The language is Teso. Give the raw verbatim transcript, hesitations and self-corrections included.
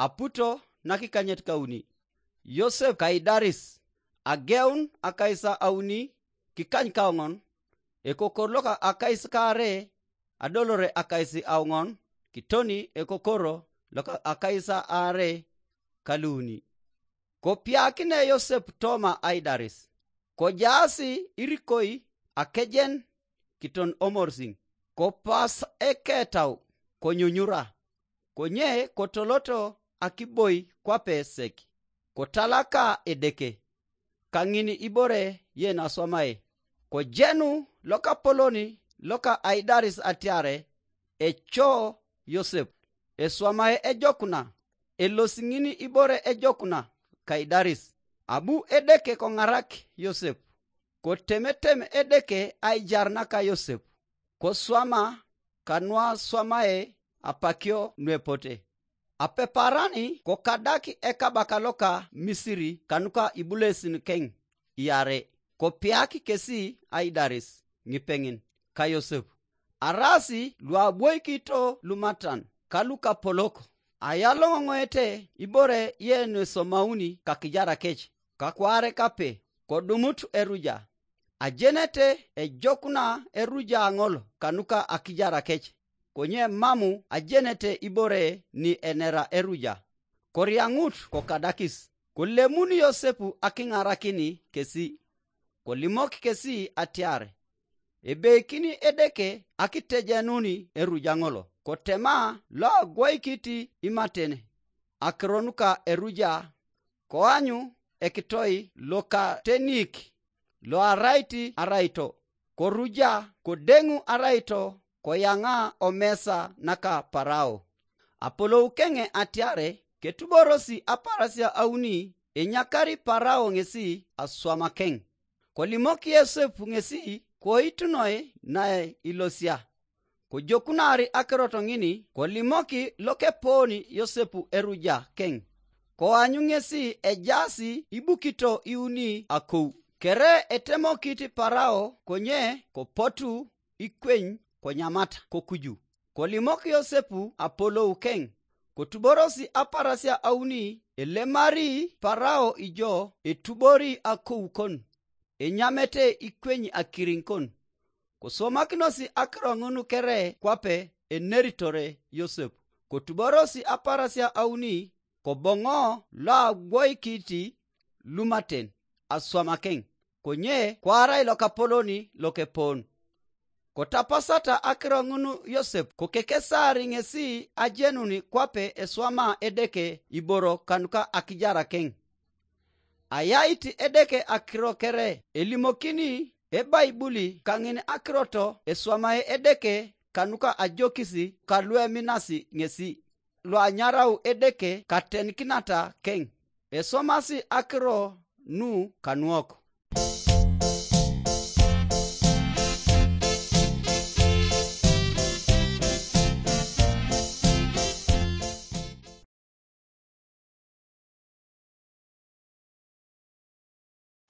aputo nakikanyet kauni. Yosep Kaidaris, ageun akais auni kikany kaoŋon, ekokor loka akais kaare, adolore akais aoŋon, kitoni ekokoro loka akais aare kaluuni. Kopiakine Yosep toma aidaris, kojaasi irikoi akejen kiton omorsiŋ, kopas eketau, konyunyura, konye kotoloto akiboi kwape sek, kotalaka Edeke, kaŋin ibore yen aswamae. Kojenu lokapolon loka aidaris atiare, eco Yosep, eswamae ejokuna, elosi ŋin ibore ejokuna kaidaris. Abu Edeke koŋarak Yosep, kotemetem Edeke aijar naka Yosep, koswama kanuaswamae apakio nuepote. Apeparani kokadak ekabaka loka Misiri kanuka ibulesin keŋ iare, kopiak kesi aidaris ŋipeŋin ka Yosep, araasi luabwoikito lumatan ka lukapolok, ayaloŋoŋoete ibore yenuesomauni kakijara kec, kakwaare kape, kodumut eruja. Ajenete ejokuna eruja ŋol kanuka akijara kec, konye mamu ajenete ibore ni enera eruja. Koriaŋut kokadakis, kolemun Yosep akiŋarakini kesi, kolimok kesi atiar, ebeikini Edeke akitejenuni eruja ŋol, kotema loagwoikit imaten akiro nuka eruja, koanyu ekitoi lokatenik loarait araito, koruja kodeŋu araito, koyaŋa omesa naka Parao. Apolou keŋe atiare ketuborosi aparasia auni, enyakari Parao ŋesi aswamakeŋ. Kolimok Yosep ŋesi koitunoi naelosia. Kojokunar akirot ŋin, kolimoki lokepoon Yosep eruja keŋ, koanyu ŋesi ejaas ibukito iuni akou. Kere etemokit Parao, konye kopotu ikweny konyamata kokuju. Kolimok Yosep apolou keŋ, kotuborosi aparasia auni, elemari Parao ijo etubori akou kon, enyamete ikweny akiriŋ kon. Koswomakinosi akiro ŋun kere kwape eneritore Yosep, kotuborosi aparasia auni, koboŋo loagwoikit lumaten aswamakeŋ, konye koarai lokapolon lokepoon. Kotapasata akiro ŋun Yosep, kokekesar ŋesi ajenun kwape eswama Edeke iboro kanuka akijarakeŋ. Ayait Edeke akiro kere elimokini Ebaibuli kaŋin akirot eswamae Edeke kanuka ajokis kalueminasi ŋesi, luanyarau Edeke katenikinata keŋ. Eswamasi akiro nu kanuok.